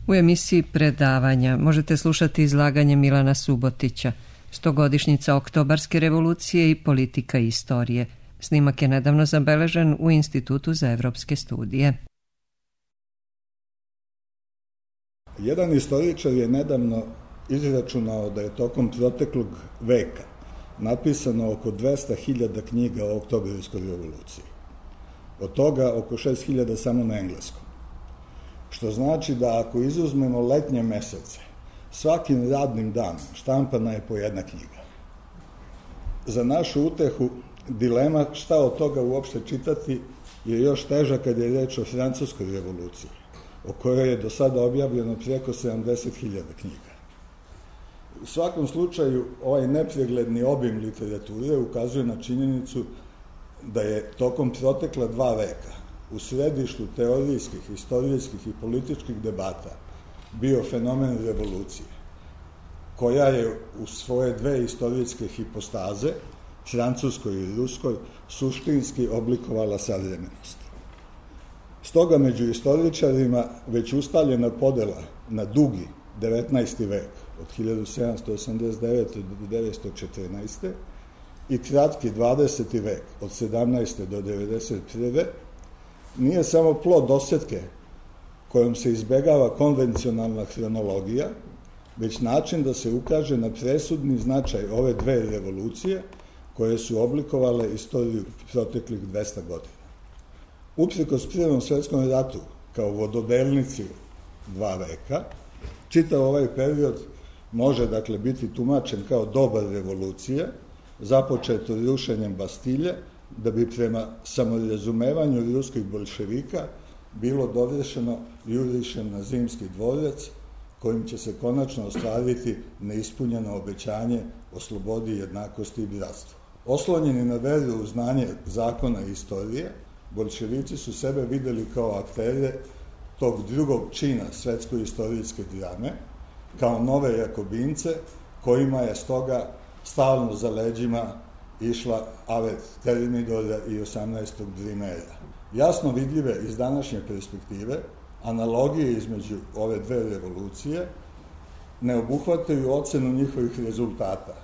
U emisiji Predavanja možete slušati izlaganje Milana Subotića, 100-godišnjica Oktobarske revolucije i politika istorije. Snimak je nedavno zabeležen u Institutu za evropske studije. Jedan istoričar je nedavno izračunao da je tokom proteklog veka napisano oko 200.000 knjiga o Oktobarskoj revoluciji. Od toga oko 6.000 samo na engleskom. Što znači da ako izuzmemo letnje mesece, svakim radnim danom štampana je po jedna knjiga. Za našu utehu dilema šta od toga uopšte čitati je još teža kad je reč o Francuskoj revoluciji, o kojoj je do sada objavljeno preko 70.000 knjiga. U svakom slučaju, ovaj nepregledni obim literature ukazuje na činjenicu da je tokom protekla 2 veka u središtu teorijskih, istorijskih i političkih debata bio fenomen revolucije, koja je u svoje 2 istorijske hipostaze, francuskoj i ruskoj, suštinski oblikovala savremenost. Stoga među istoričarima već ustaljena podela na dugi 19. vek od 1789. do 1914. i kratki 20. vek od 17. do 1991. nije samo plod dosetke kojom se izbegava konvencionalna hronologija, već način da se ukaže na presudni značaj ove 2 revolucije koje su oblikovale istoriju proteklih 200 godina. Uprkos Prvom svetskom ratu kao vododelnici 2 veka, čitav ovaj period može dakle biti tumačen kao doba revolucija, započeto rušenjem Bastilje, da bi prema samorazumevanju ruskih bolševika bilo dovršeno jurišem na Zimski dvorac, kojim će se konačno ostvariti neispunjeno obećanje o slobodi, jednakosti i bratstvu. Oslonjeni na veru u znanje zakona i istorije, bolševici su sebe videli kao aktere tog drugog čina svetsko-istorijske drame, kao nove jakobince, kojima je stoga stalno za leđima išla avet Termidora i 18. Brimera. Jasno vidljive iz današnje perspektive, analogije između ove 2 revolucije ne obuhvataju ocenu njihovih rezultata,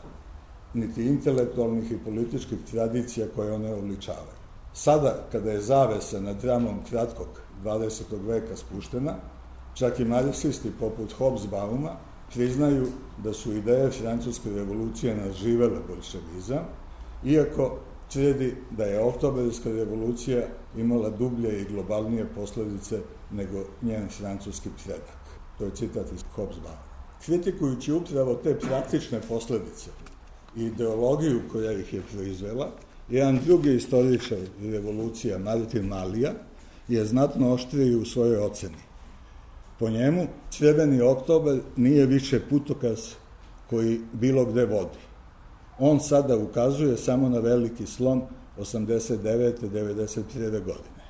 niti intelektualnih i političkih tradicija koje one obličavaju. Sada, kada je zavesa nad dramom kratkog 20. veka spuštena, čak i marksisti poput Hobsbauma priznaju da su ideje Francuske revolucije nadživele bolševizam, iako tvrdi da je Oktobarska revolucija imala dublje i globalnije posledice nego njen francuski predak. To je citat iz Hobsbauma. Kritikujući upravo te praktične posledice i ideologiju koja ih je proizvela, jedan drugi istoričar revolucija, Martin Malija, je znatno oštriji u svojoj oceni. Po njemu, Crveni oktobar nije više putokaz koji bilo gde vodi. On sada ukazuje samo na veliki slom 89. 91. godine.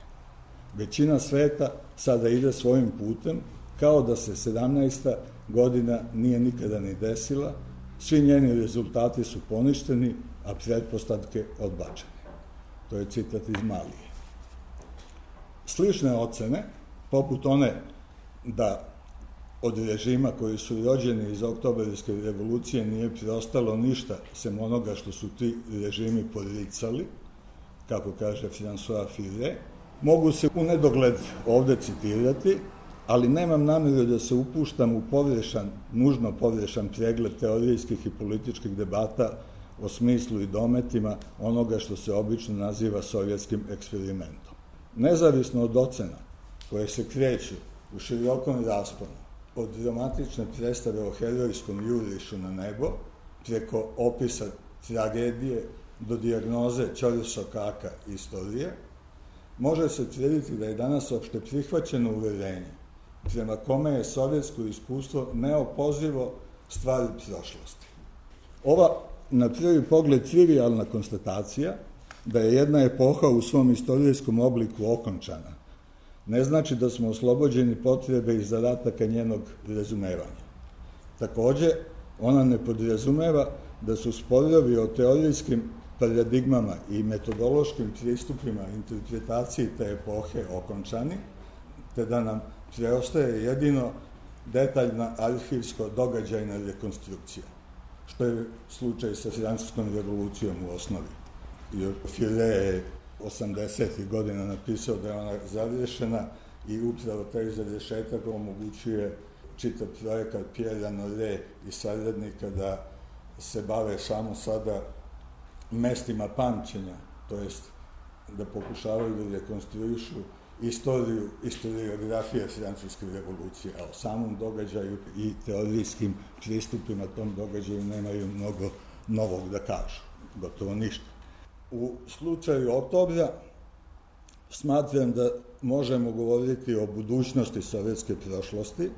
Većina sveta sada ide svojim putem, kao da se 17. godina nije nikada ni desila, svi njeni rezultati su poništeni, a pretpostavke odbačene. To je citat iz Malije. Slične ocene, poput one da od režima koji su rođeni iz Oktobarske revolucije nije preostalo ništa sem onoga što su ti režimi poricali, kako kaže François Furet, mogu se u nedogled ovde citirati, ali nemam nameru da se upuštam u nužno pogrešan pregled teorijskih i političkih debata o smislu i dometima onoga što se obično naziva sovjetskim eksperimentom. Nezavisno od ocena koje se kreću u širokom rasponu, od dramatične predstave o herojskom jurišu na nebo, preko opisa tragedije do dijagnoze ćorsokaka istorije, može se tvrditi da je danas opšte prihvaćeno uverenje prema kome je sovjetsko iskustvo neopozivo stvar prošlosti. Ova, na prvi pogled, trivijalna konstatacija da je jedna epoha u svom istorijskom obliku okončana, ne znači da smo oslobođeni potrebe i zadataka njenog razumevanja. Takođe, ona ne podrazumeva da su sporovi o teorijskim paradigmama i metodološkim pristupima interpretaciji te epohe okončani, te da nam preostaje jedino detaljna arhivsko-događajna rekonstrukcija, što je slučaj sa Francuskom revolucijom u osnovi. File je 80. godina napisao da je ona završena i upravo taj završetak omogućuje čitav projekat Pierre Nore i saradnika da se bave samo sada mestima pamćenja, to jest da pokušavaju da rekonstruišu historiografije Francuske revolucije, a o samom događaju i teorijskim pristupima tom događaju nemaju mnogo novog da kažu, gotovo ništa. U slučaju Oktobra smatram da možemo govoriti o budućnosti sovjetske prošlosti,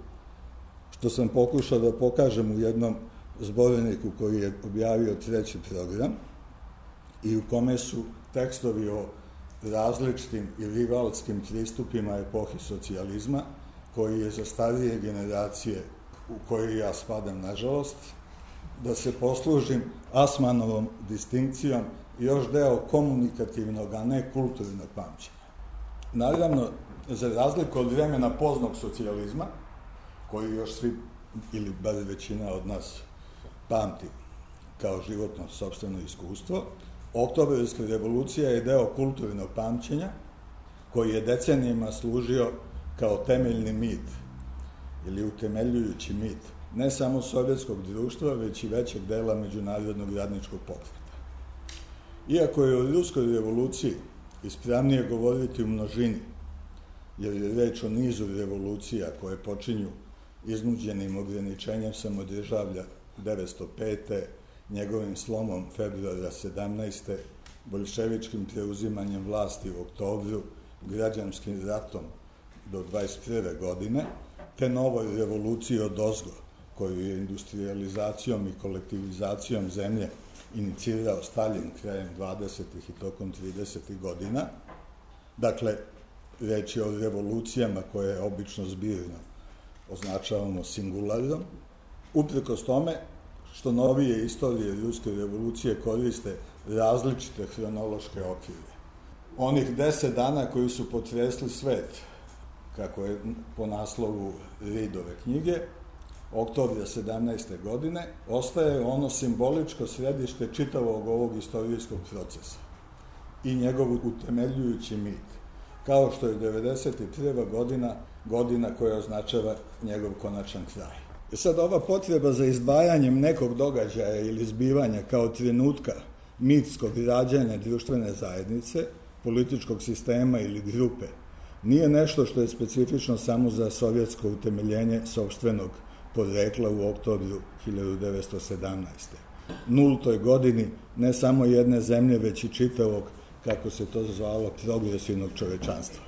što sam pokušao da pokažem u jednom zborniku koji je objavio Treći program i u kome su tekstovi o različitim i rivalskim pristupima epohi socijalizma, koji je za starije generacije, u koje ja spadam nažalost, da se poslužim Asmanovom distinkcijom, još deo komunikativnog, a ne kulturnog pamćenja. Naravno, za razliku od vremena poznog socijalizma, koji još svi, ili bar većina od nas, pamti kao životno sopstveno iskustvo, Oktobarska revolucija je deo kulturnog pamćenja koji je decenijima služio kao temeljni mit ili utemeljujući mit ne samo sovjetskog društva, već i većeg dela međunarodnog radničkog pokreta. Iako je o ruskoj revoluciji ispravnije govoriti u množini, jer je reč o nizu revolucija koje počinju iznuđenim ograničenjem samodržavlja 905. njegovim slomom februara 17. boljševičkim preuzimanjem vlasti u oktobru, građanskim ratom do 21. godine, te novoj revoluciji odozgo, koju je industrializacijom i kolektivizacijom zemlje inicirao Stalin krajem 20. i tokom 30. godina. Dakle, reč je o revolucijama koje obično zbirno označavamo singularom, uprkos tome što novije istorije ruske revolucije koriste različite hronološke okvire. Onih 10 dana koji su potresli svet, kako je po naslovu Reedove knjige, oktobra 17. godine, ostaje ono simboličko središte čitavog ovog istorijskog procesa i njegov utemeljujući mit, kao što je 91. godina koja označava njegov konačan kraj. Sad ova potreba za izdvajanjem nekog događaja ili zbivanja kao trenutka mitskog rađanja društvene zajednice, političkog sistema ili grupe, nije nešto što je specifično samo za sovjetsko utemeljenje sopstvenog porekla u oktobru 1917. Nultoj godini ne samo jedne zemlje, već i čitavog, kako se to zvalo, progresivnog čovečanstva.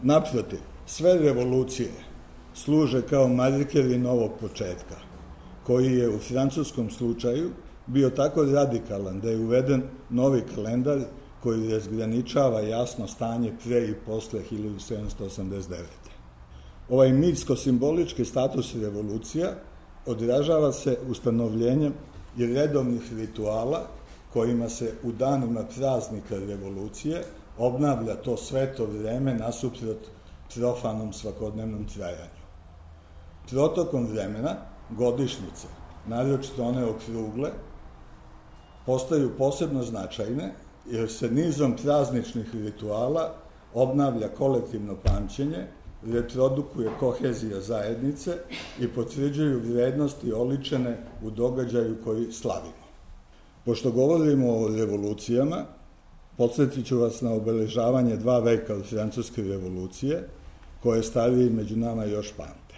Naprotiv, sve revolucije služe kao markeri novog početka, koji je u francuskom slučaju bio tako radikalan da je uveden novi kalendar koji razgraničava jasno stanje pre i posle 1789. Ovaj mitsko-simbolički status revolucija odražava se ustanovljenjem i redovnih rituala kojima se u danima praznika revolucije obnavlja to sveto vreme nasuprot profanom svakodnevnom trajanju. Protokom vremena godišnjice, naročito one okrugle, postaju posebno značajne jer se nizom prazničnih rituala obnavlja kolektivno pamćenje, reprodukuje kohezija zajednice i potvrđuju vrednosti oličene u događaju koji slavimo. Pošto govorimo o revolucijama, podsjetit ću vas na obeležavanje 2 veka od Francuske revolucije, koje stariji među nama još pamte,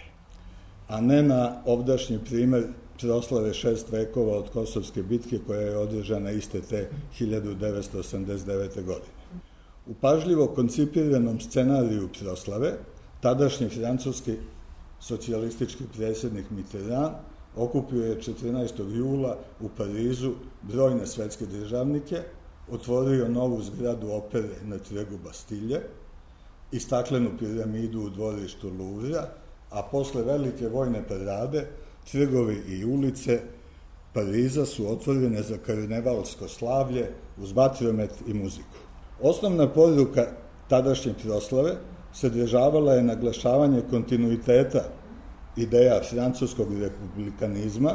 a ne na ovdašnji primer proslave 6 vekova od Kosovske bitke koja je održana iste te 1989. godine. U pažljivo koncipiranom scenariju proslave, tadašnji francuski socijalistički predsjednik Mitterrand okupio je 14. jula u Parizu brojne svetske državnike, otvorio novu zgradu opere na trgu Bastilje i staklenu piramidu u dvorištu Louvra, a posle velike vojne parade trgovi i ulice Pariza su otvorene za karnevalsko slavlje uz vatromet i muziku. Osnovna poruka tadašnje proslave sadržavala je naglašavanje kontinuiteta ideja francuskog republikanizma,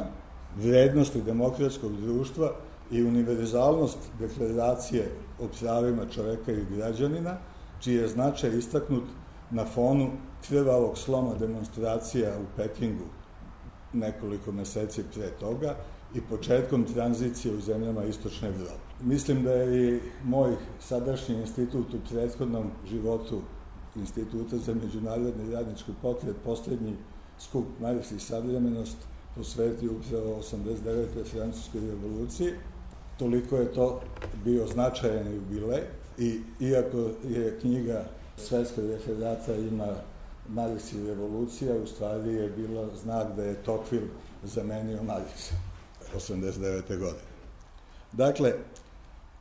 vrednosti demokratskog društva i univerzalnost deklaracije o pravima čoveka i građanina, čiji je značaj istaknut na fonu krvavog sloma demonstracija u Pekingu nekoliko meseci pre toga i početkom tranzicije u zemljama Istočne Evrope. Mislim da je i moj sadašnji institut u prethodnom životu Instituta za međunarodni radnički pokret, poslednji skup Marks i savremenost, posvetio upravo 89. francuskoj revoluciji. Toliko je to bio značajan jubilej i iako je knjiga Svetska referata ima Marks i revolucija, u stvari je bilo znak da je Tocqueville zamenio Marksa 89. godine. Dakle,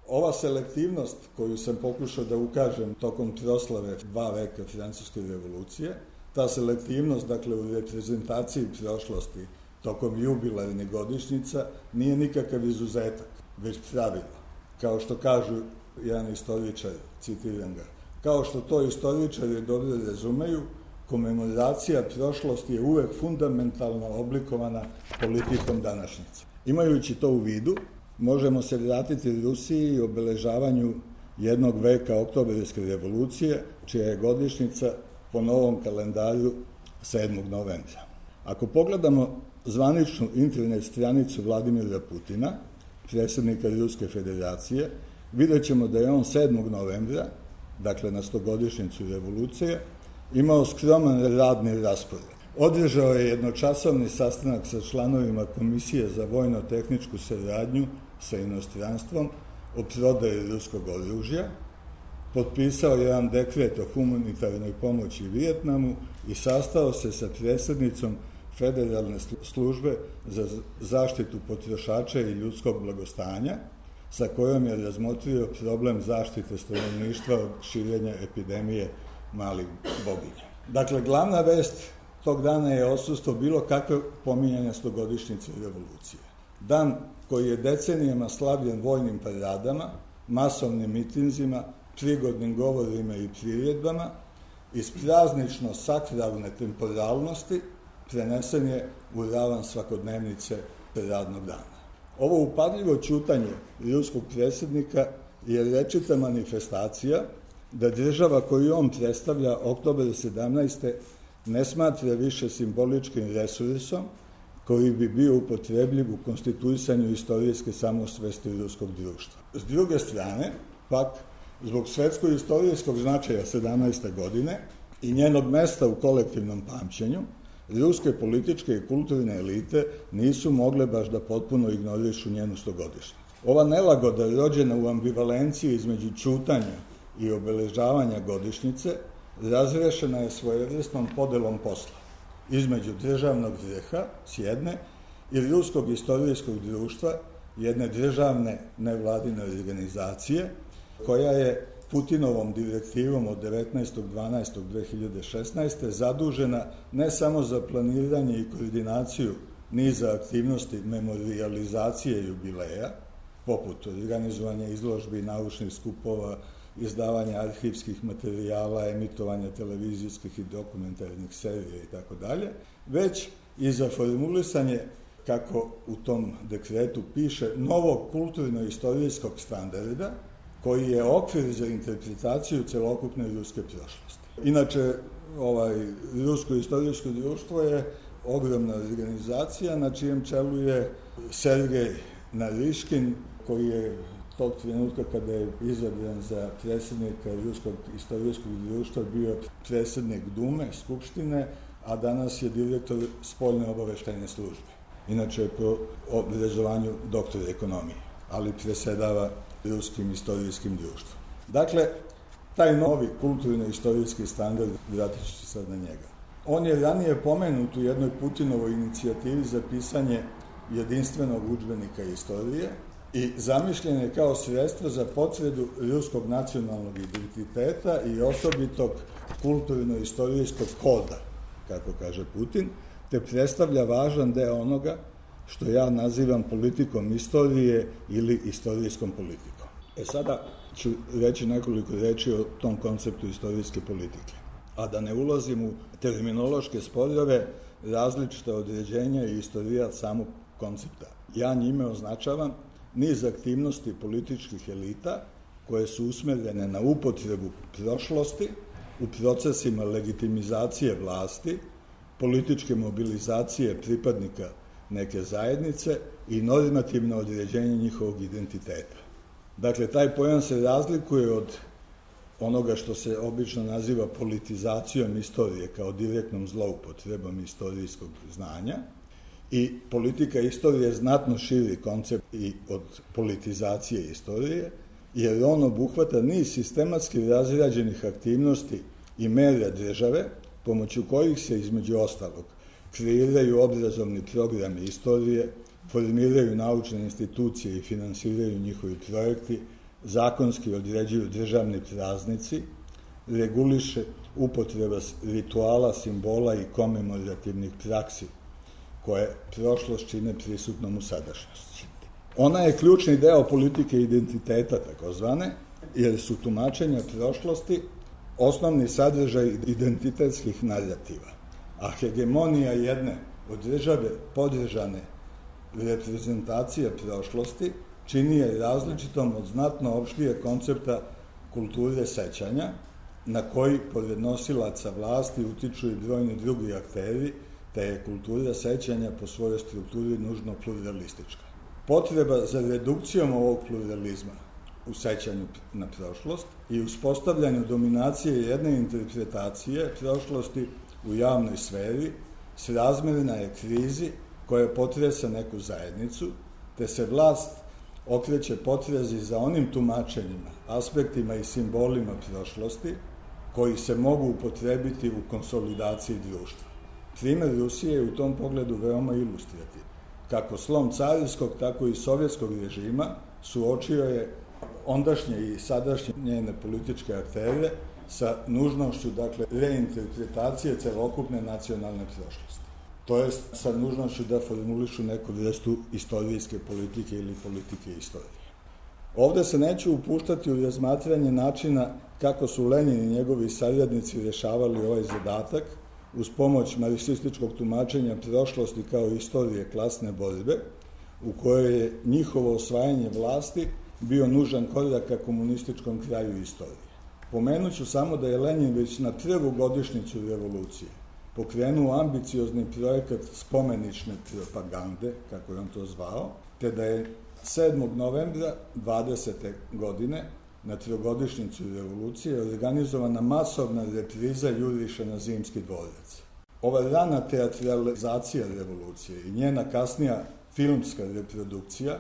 ova selektivnost koju sam pokušao da ukažem tokom proslave 2 veka francuske revolucije, ta selektivnost, dakle, u reprezentaciji prošlosti tokom jubilarnih godišnjica nije nikakav izuzetak, već pravilo. Kao što kažu jedan istoričar, citiram ga, kao što to istoričari dobro razumeju, komemoracija prošlosti je uvek fundamentalno oblikovana politikom današnjice. Imajući to u vidu, možemo se vratiti Rusiji i obeležavanju jednog veka oktobarske revolucije, čija je godišnjica po novom kalendaru 7. novembra. Ako pogledamo zvaničnu internet stranicu Vladimira Putina, predsjednika Ruske federacije, vidjet ćemo da je on 7. novembra, dakle na 100-godišnjicu revolucije, imao skroman radni raspored. Održao je jednočasovni sastanak sa članovima Komisije za vojno-tehničku saradnju sa inostranstvom o prodaji ruskog oružja, potpisao jedan dekret o humanitarnoj pomoći Vijetnamu i sastao se sa predsjednicom Federalne službe za zaštitu potrošača i ljudskog blagostanja, sa kojom je razmotrio problem zaštite stanovništva od širenja epidemije malih boginja. Dakle, glavna vest tog dana je odsustvo bilo kakve pominjanja 100-godišnjice revolucije. Dan koji je decenijama slavljen vojnim paradama, masovnim mitinzima, prigodnim govorima i priredbama, iz praznično sakralne temporalnosti prenesen je u ravan svakodnevnice radnog dana. Ovo upadljivo ćutanje ruskog predsjednika je rečita manifestacija da država koju on predstavlja oktobar 17. ne smatra više simboličkim resursom koji bi bio upotrebljiv u konstituisanju istorijske samosvesti ruskog društva. S druge strane, pak, zbog svetsko-istorijskog značaja 17. godine i njenog mesta u kolektivnom pamćenju, ruske političke i kulturne elite nisu mogle baš da potpuno ignorišu njenu 100-godišnjicu. Ova nelagoda rođena u ambivalenciji između ćutanja i obeležavanja godišnjice razrešena je svojevrsnom podelom posla između državnog greha s jedne i ruskog istorijskog društva, jedne državne nevladine organizacije, koja je Putinovom direktivom od 19.12.2016. zadužena ne samo za planiranje i koordinaciju niza aktivnosti memorijalizacije jubileja, poput organizovanja izložbi, naučnih skupova, izdavanja arhivskih materijala, emitovanja televizijskih i dokumentarnih serija itd., već i za formulisanje, kako u tom dekretu piše, novog kulturno-istorijskog standarda, koji je okvir za interpretaciju celokupne ruske prošlosti. Inače, Rusko istorijsko društvo je ogromna organizacija na čijem čelu je Sergej Nariškin, koji je tog trenutka kada je izabran za predsjednika Ruskog istorijskog društva bio predsjednik Dume, Skupštine, a danas je direktor spoljne obaveštajne službe. Inače je po obrazovanju doktor ekonomije, ali presedava Ruskim istorijskim društvom. Dakle, taj novi kulturno-istorijski standard, vratit ću se sad na njega. On je ranije pomenut u jednoj Putinovoj inicijativi za pisanje jedinstvenog udžbenika istorije i zamišljen je kao sredstvo za potvrdu ruskog nacionalnog identiteta i osobitog kulturno-istorijskog koda, kako kaže Putin, te predstavlja važan deo onoga što ja nazivam politikom istorije ili istorijskom politikom. Sada ću reći nekoliko reči o tom konceptu istorijske politike. A da ne ulazim u terminološke sporove, različita određenja i istorijat samog koncepta. Ja njime označavam niz aktivnosti političkih elita koje su usmerene na upotrebu prošlosti u procesima legitimizacije vlasti, političke mobilizacije pripadnika neke zajednice i normativno određenje njihovog identiteta. Dakle, taj pojam se razlikuje od onoga što se obično naziva politizacijom istorije kao direktnom zloupotrebom istorijskog znanja, i politika istorije je znatno širi koncept i od politizacije istorije, jer on obuhvata niz sistematski razrađenih aktivnosti i mera države, pomoću kojih se, između ostalog, kreiraju obrazovni programi istorije, formiraju naučne institucije i finansiraju njihovi projekti, zakonski određuju državni praznici, reguliše upotreba rituala, simbola i komemorativnih praksi, koje prošlost čine prisutnom u sadašnjosti. Ona je ključni deo politike identiteta, takozvane, jer su tumačenja prošlosti osnovni sadržaj identitetskih narativa, a hegemonija jedne od države podržane reprezentacije prošlosti čini je različitom od znatno opštije koncepta kulture sećanja, na koji pored nosilaca vlasti utiču i brojni drugi akteri, te je kultura sećanja po svojoj strukturi nužno pluralistička. Potreba za redukcijom ovog pluralizma u sećanju na prošlost i uspostavljanju dominacije jedne interpretacije prošlosti u javnoj sferi srazmerna je krizi koja potresa neku zajednicu, te se vlast okreće potrazi za onim tumačenjima, aspektima i simbolima prošlosti koji se mogu upotrebiti u konsolidaciji društva. Primer Rusije je u tom pogledu veoma ilustrativan. Kako slom carinskog, tako i sovjetskog režima suočio je ondašnje i sadašnje njene političke aktere sa nužnošću, dakle, reinterpretacije celokupne nacionalne prošlosti. To je sa nužnošću da formulišu neku vrstu istorijske politike ili politike istorije. Ovde se neću upuštati u razmatranje načina kako su Lenin i njegovi saradnici rešavali ovaj zadatak uz pomoć marksističkog tumačenja prošlosti kao istorije klasne borbe, u kojoj je njihovo osvajanje vlasti bio nužan korak ka komunističkom kraju istorije. Pomenuću samo da je Lenin već na prvu godišnjicu revolucije pokrenuo ambiciozni projekat spomenične propagande, kako je on to zvao, te da je 7. novembra 20. godine na trogodišnjicu revolucije organizovana masovna repriza juriša na Zimski dvorac. Ova rana teatralizacija revolucije i njena kasnija filmska reprodukcija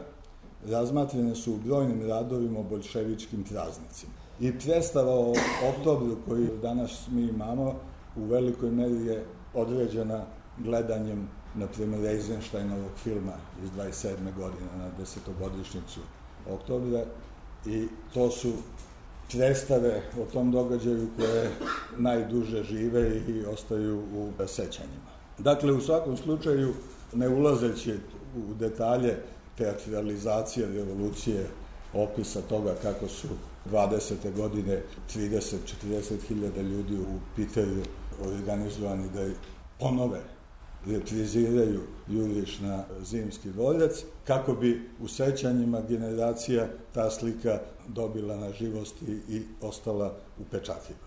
razmatrene su u brojnim radovima o boljševičkim praznicima. I predstava o oktobru koju danas mi imamo u velikoj meri je određena gledanjem, na primjer, Eisensteinovog filma iz 27. godine na 10. oktobra, i to su predstave o tom događaju koje najduže žive i ostaju u sećanjima. Dakle, u svakom slučaju, ne ulazeći u detalje teatralizacije revolucije, opisa toga kako su 20. godine 30-40 hiljada ljudi u Piteru organizovani da ponove repriziraju juriš na Zimski dvorac, kako bi u sećanjima generacija ta slika dobila na živosti i ostala upečatljiva.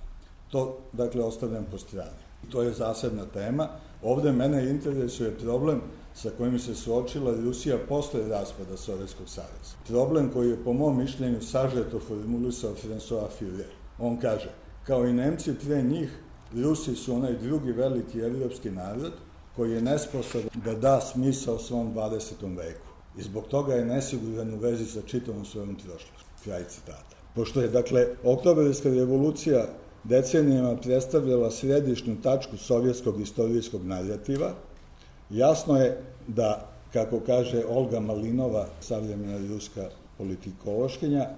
To, dakle, ostavljam po strani. To je zasebna tema. Ovde mene interesuje problem sa kojim se suočila Rusija posle raspada Sovjetskog saveza. Problem koji je, po mom mišljenju, sažeto formulisao François Führer. On kaže, kao i Nemci pre njih, Rusi su onaj drugi veliki evropski narod koji je nesposoban da da smisao svom 20. veku. I zbog toga je nesiguran u vezi sa čitavom svojom prošlošću. Kraj citata. Pošto je, dakle, oktobarska revolucija decenijama predstavljala središnju tačku sovjetskog istorijskog narativa, jasno je da, kako kaže Olga Malinova, savremena ruska politikološkinja,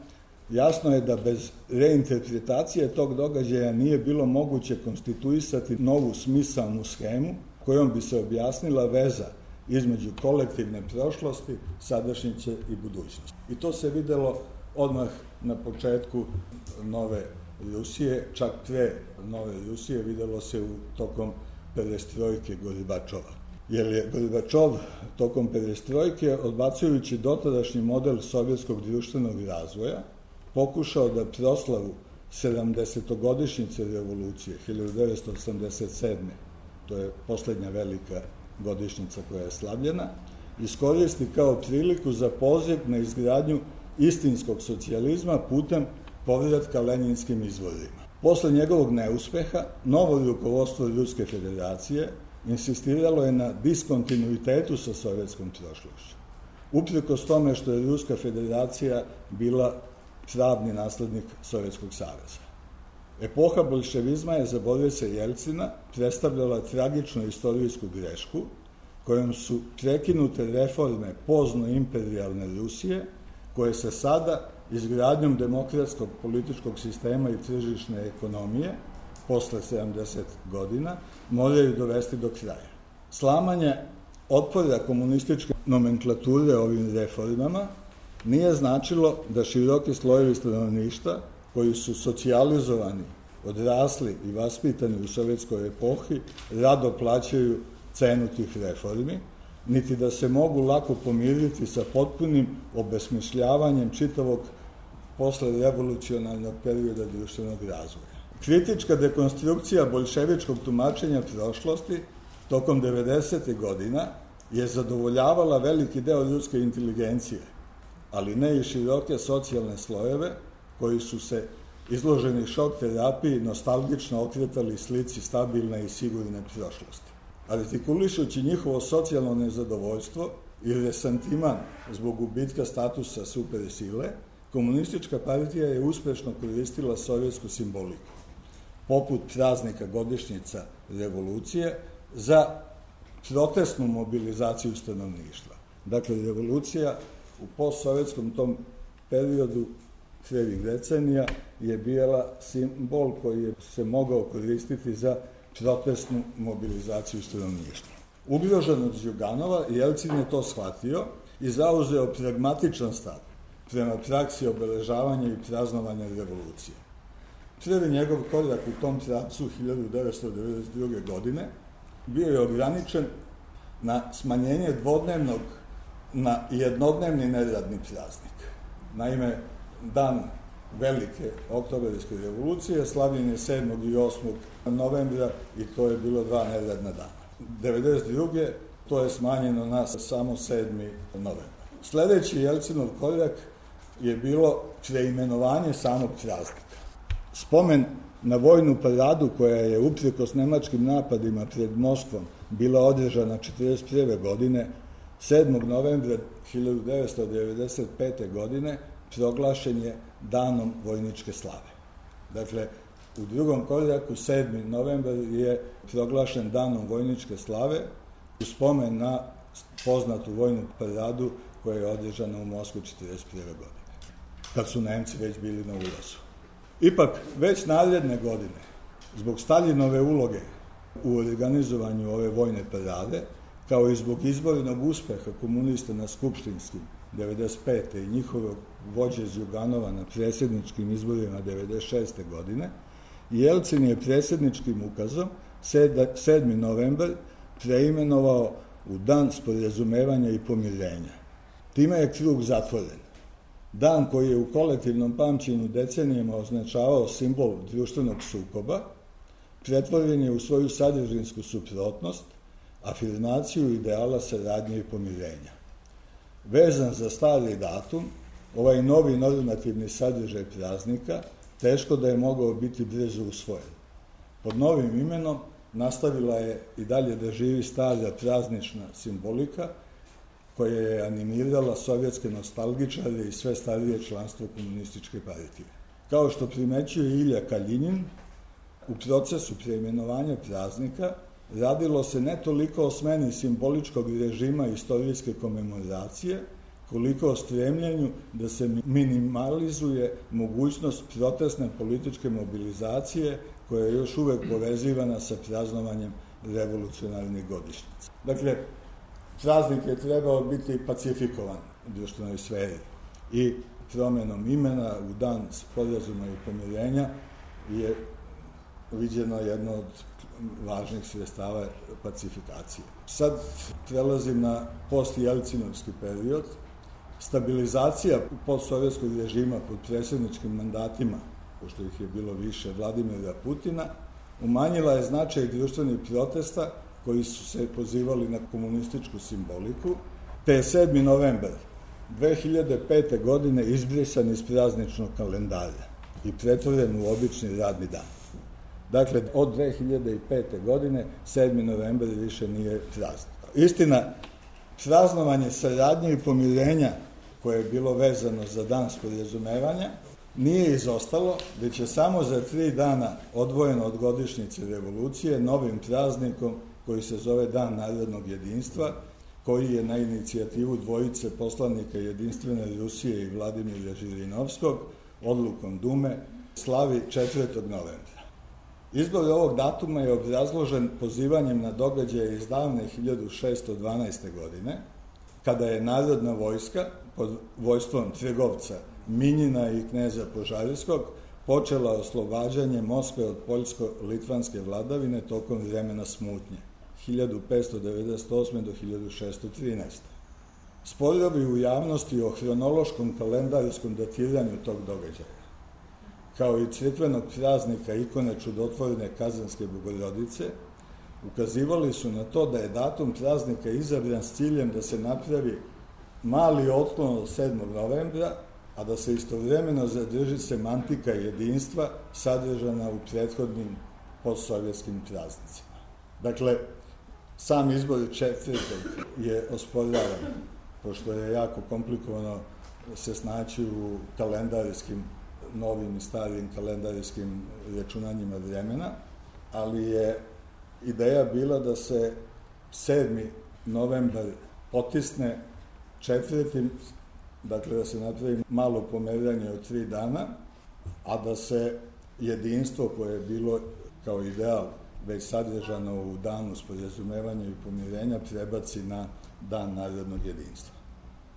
jasno je da bez reinterpretacije tog događaja nije bilo moguće konstituisati novu smisalnu schemu kojom bi se objasnila veza između kolektivne prošlosti, sadašnjice i budućnosti. I to se videlo odmah na početku nove Rusije, čak pre nove Rusije, videlo se tokom perestrojke Gorbačova. Jer je Gorbačov tokom perestrojke, odbacujući dotadašnji model sovjetskog društvenog razvoja, pokušao da proslavu 70-godišnjice revolucije 1987. To je poslednja velika godišnjica koja je slavljena, iskoristi kao priliku za poziv na izgradnju istinskog socijalizma putem povratka lenjinskim izvorima. Posle njegovog neuspeha, novo rukovodstvo Ruske federacije insistiralo je na diskontinuitetu sa sovjetskom prošlošću. Uprkos tome što je Ruska federacija bila pravni naslednik Sovjetskog saveza. Epoha bolševizma je za Borisa Jelcina predstavljala tragičnu istorijsku grešku kojom su prekinute reforme pozno-imperijalne Rusije, koje se sada izgradnjom demokratskog političkog sistema i tržišne ekonomije posle 70 godina moraju dovesti do kraja. Slamanje otpora komunističke nomenklature ovim reformama nije značilo da široki slojevi stanovništva koji su socijalizovani, odrasli i vaspitani u sovjetskoj epohi rado plaćaju cenu tih reformi, niti da se mogu lako pomiriti sa potpunim obesmišljavanjem čitavog posle revolucionarnog perioda društvenog razvoja. Kritička dekonstrukcija boljševičkog tumačenja prošlosti tokom 90. godina je zadovoljavala veliki deo ljudske inteligencije, ali ne i široke socijalne slojeve koji su se izloženi šok terapiji nostalgično okretali slici stabilne i sigurne prošlosti. Artikulišući njihovo socijalno nezadovoljstvo i resantiman zbog gubitka statusa supersile, komunistička partija je uspešno koristila sovjetsku simboliku, poput praznika godišnjica revolucije, za protestnu mobilizaciju stanovništva. Dakle, revolucija u postsovjetskom tom periodu krevih decenija je bila simbol koji je se mogao koristiti za protestnu mobilizaciju stanovništva. Ugrožen od Đuganova, Jelcin je to shvatio i zauzeo pragmatičan stav prema praksi obeležavanja i praznovanja revolucije. Prvi njegov korak u tom pravcu 1992. godine bio je ograničen na smanjenje dvodnevnog na jednodnevni neradni praznik. Naime, dan velike oktobarske revolucije slavljen je 7. i 8. novembra i to je bilo 2 neradna dana. 1992. to je smanjeno na samo 7. novembra. Sledeći Jelcinov korak je bilo preimenovanje samog praznika. Spomen na vojnu paradu koja je uprkos nemačkim napadima pred Moskvom bila održana 1941. godine, 7. novembra 1995. godine proglašen je danom vojničke slave. Dakle, u drugom koraku 7. novembar je proglašen danom vojničke slave u spomen na poznatu vojnu paradu koja je održana u Moskvu 1941. godine, kad su Nemci već bili na ulazu. Ipak, već naredne godine, zbog Staljinove uloge u organizovanju ove vojne parade, kao i zbog izbornog uspeha komunista na skupštinskim 1995. i njihovog vođe Đuganova na predsjedničkim izborima 1996. godine, Jelcin je predsjedničkim ukazom 7. novembar preimenovao u Dan sporazumevanja i pomirenja. Time je krug zatvoren. Dan koji je u kolektivnom pamćenju decenijama označavao simbol društvenog sukoba, pretvoren je u svoju sadržinsku suprotnost, afirmaciju ideala saradnje i pomirenja. Vezan za stari datum, ovaj novi normativni sadržaj praznika teško da je mogao biti brzo usvojen. Pod novim imenom nastavila je i dalje da živi stara praznična simbolika koja je animirala sovjetske nostalgičare i sve starije članstvo komunističke partije. Kao što primećuje Ilja Kaljinin, u procesu preimenovanja praznika radilo se ne toliko o smeni simboličkog režima istorijske komemoracije, koliko o stremljenju da se minimalizuje mogućnost protestne političke mobilizacije koja je još uvek povezivana sa praznovanjem revolucionarnih godišnjica. Dakle, praznik je trebao biti pacifikovan u društvenoj sferi i promenom imena u Dan sporazuma i pomirenja je viđeno jedno od važnih sredstava pacifikacije. Sad prelazim na post-jelcinovski period. Stabilizacija postsovjetskog režima pod predsjedničkim mandatima, pošto ih je bilo više, Vladimira Putina, umanjila je značaj društvenih protesta koji su se pozivali na komunističku simboliku, te je 7. novembar 2005. godine izbrisan iz prazničnog kalendara i pretvoren u obični radni dan. Dakle, od 2005. godine 7. novembar više nije praznik. Istina, praznovanje saradnje i pomirenja koje je bilo vezano za dan sporazumevanja nije izostalo, već je samo za 3 dana odvojeno od godišnjice revolucije novim praznikom koji se zove Dan narodnog jedinstva, koji je na inicijativu dvojice poslanika Jedinstvene Rusije i Vladimira Žirinovskog odlukom Dume slavi 4. novembra. Izbor ovog datuma je obrazložen pozivanjem na događaje iz davne 1612. godine, kada je narodna vojska pod vojstvom trgovca Minjina i kneza Požarijskog počela oslobađanje Moskve od poljsko-litvanske vladavine tokom vremena smutnje 1598. do 1613. Sporovi u javnosti o hronološkom kalendarskom datiranju tog događaja, kao i crkvenog praznika ikone čudotvorne Kazanske Bogorodice, ukazivali su na to da je datum praznika izabran s ciljem da se napravi mali otklon od 7. novembra, a da se istovremeno zadrži semantika jedinstva sadržana u prethodnim postsovjetskim praznicima. Dakle, sam izbor 4. je osporavan, pošto je jako komplikovano se snaći u kalendarskim, novim i starim kalendarskim računanjima vremena, ali je ideja bila da se 7. novembar potisne 4. Dakle, da se napravi malo pomeranje od 3 dana, a da se jedinstvo koje je bilo kao ideal već sadržano u danu sporazumevanja i pomirenja prebaci na Dan narodnog jedinstva.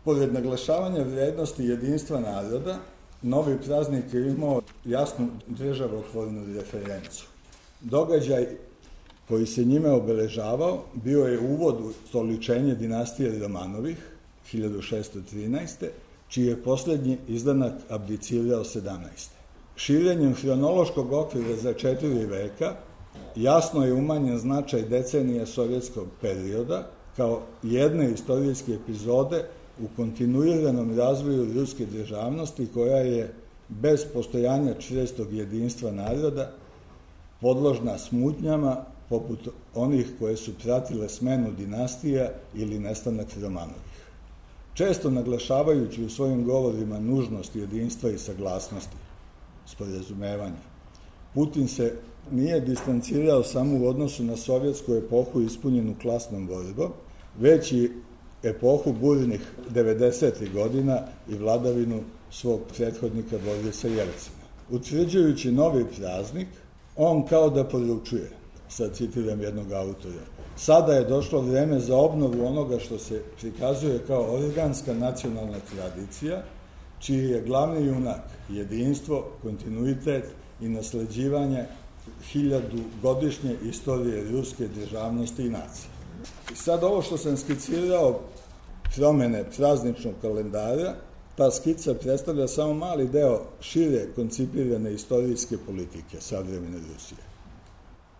Pored naglašavanja vrednosti jedinstva naroda, novi praznik je imao jasnu državotvornu referencu. Događaj koji se njime obeležavao bio je uvod u stoličenje dinastije Romanovih 1613. čiji je posljednji izdanak abdicirao 17. Širenjem hronološkog okvira za 4 veka jasno je umanjen značaj decenija sovjetskog perioda kao jedne istorijske epizode u kontinuiranom razvoju ruske državnosti koja je bez postojanja čvrstog jedinstva naroda podložna smutnjama poput onih koje su pratile smenu dinastija ili nestanak Romanovih. Često naglašavajući u svojim govorima nužnost jedinstva i saglasnosti, sporazumevanja, Putin se nije distancirao samo u odnosu na sovjetsku epohu ispunjenu klasnom borbom, već i epohu burnih 90. godina i vladavinu svog prethodnika Borisa Jelcina. Utvrđujući novi praznik, on kao da poručuje, sad citiram jednog autora, sada je došlo vreme za obnovu onoga što se prikazuje kao organska nacionalna tradicija, čiji je glavni junak jedinstvo, kontinuitet i nasleđivanje 1000-godišnje istorije ruske državnosti i nacije. I sad ovo što sam skicirao, promene prazničnog kalendara, ta skica predstavlja samo mali deo šire koncipirane istorijske politike savremene Rusije.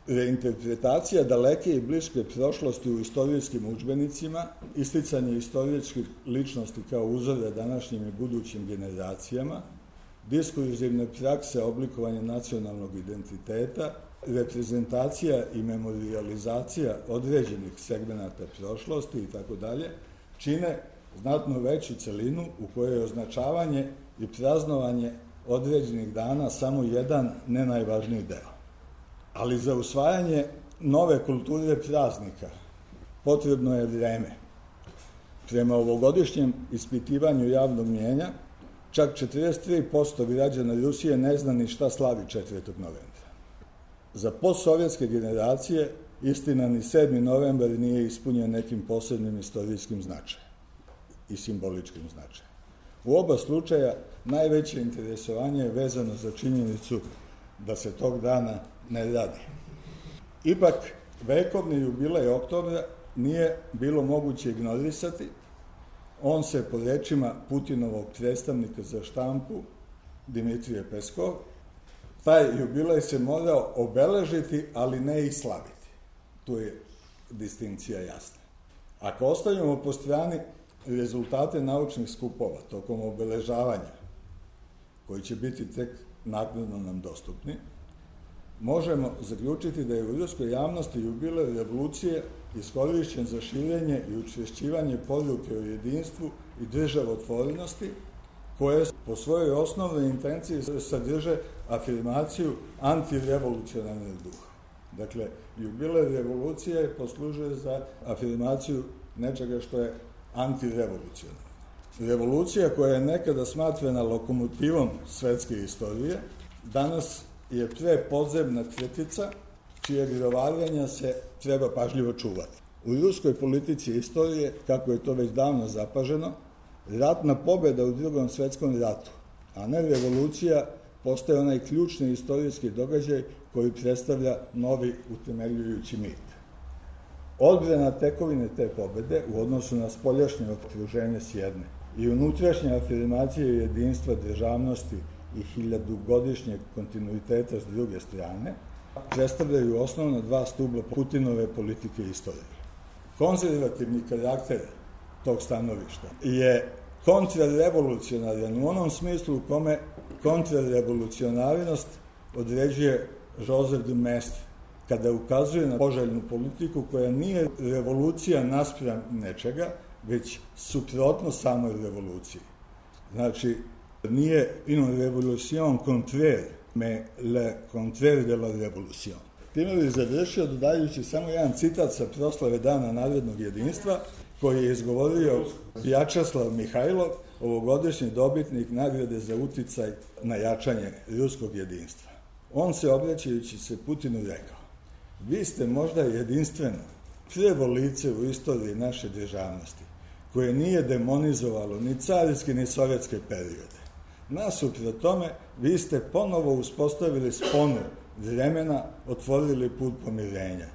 Reinterpretacija daleke i bliske prošlosti u istorijskim udžbenicima, isticanje istorijskih ličnosti kao uzora današnjim i budućim generacijama, diskurzivne prakse oblikovanja nacionalnog identiteta, reprezentacija i memorijalizacija određenih segmenata prošlosti itd., čine znatno veću celinu u kojoj je označavanje i praznovanje određenih dana samo jedan, ne najvažniji deo. Ali za usvajanje nove kulture praznika potrebno je vreme. Prema ovogodišnjem ispitivanju javnog mnijenja, čak 43% građana Rusije ne zna ni šta slavi 4. novembra. Za postsovjetske generacije istina ni 7. novembar nije ispunjen nekim posebnim istorijskim značajem i simboličkim značajem. U oba slučaja najveće interesovanje je vezano za činjenicu da se tog dana ne radi. Ipak, vekovni jubilej oktobra nije bilo moguće ignorisati. On se, po rečima Putinovog predstavnika za štampu, Dimitrije Peskov, taj jubilej se morao obeležiti, ali ne i slaviti. Tu je distinkcija jasna. Ako ostavimo po strani rezultate naučnih skupova tokom obeležavanja, koji će biti tek naknadno nam dostupni, možemo zaključiti da je u ruskoj javnosti jubilej revolucije iskorišćen za širenje i učvršćivanje poruke o jedinstvu i državotvorenosti, koje po svojoj osnovnoj intenciji sadrže afirmaciju antirevolucionarnog duha. Dakle, jubilej revolucije poslužuje za afirmaciju nečega što je antirevolucionarno. Revolucija koja je nekada smatrana lokomotivom svetske istorije, danas je prepodzemna kretica čije grovaranja se treba pažljivo čuvati. U ruskoj politici istorije, kako je to već davno zapaženo, ratna pobjeda u Drugom svetskom ratu, a ne revolucija, postaje onaj ključni istorijski događaj koji predstavlja novi utemeljujući mit. Odbrana tekovine te pobjede u odnosu na spoljašnje okruženje s jedne i unutrašnja afirmacija jedinstva, državnosti i hiljadugodišnjeg kontinuiteta s druge strane predstavljaju osnovna dva stubla Putinove politike istorije. Konzervativni karakter tog stanovišta je kontrarevolucionaran u onom smislu u kome kontrarevolucionarnost određuje Joseph de Maistre, kada ukazuje na poželjnu politiku koja nije revolucija naspram nečega, već suprotno samoj revoluciji. Znači, nije une révolution contraire, mais le contraire de la révolution. Time bi završio dodajući samo jedan citat sa proslave Dana narodnog jedinstva, koji je izgovorio Vjačeslav Mihajlov, ovogodišnji dobitnik nagrade za uticaj na jačanje ruskog jedinstva. On se, obraćajući se Putinu, rekao: vi ste možda jedinstveno prvo lice u istoriji naše državnosti, koje nije demonizovalo ni carinske ni sovjetske periode. Nasuprot tome, vi ste ponovo uspostavili sponu vremena, otvorili put pomirenja.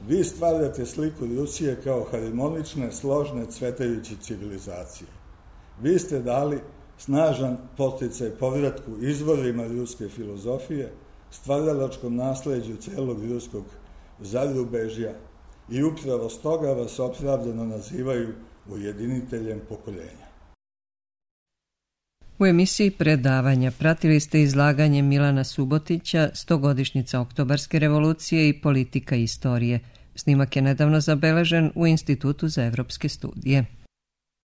Vi stvarate sliku Rusije kao harmonične, složne, cvetajuće civilizacije. Vi ste dali snažan podsticaj povratku izvorima ruske filozofije, stvaralačkom nasleđu celog ruskog zarubežja i upravo stoga vas opravdano nazivaju ujediniteljem pokoljenja. U emisiji predavanja pratili ste izlaganje Milana Subotića, 100-godišnjica Oktobarske revolucije i politika istorije. Snimak je nedavno zabeležen u Institutu za evropske studije.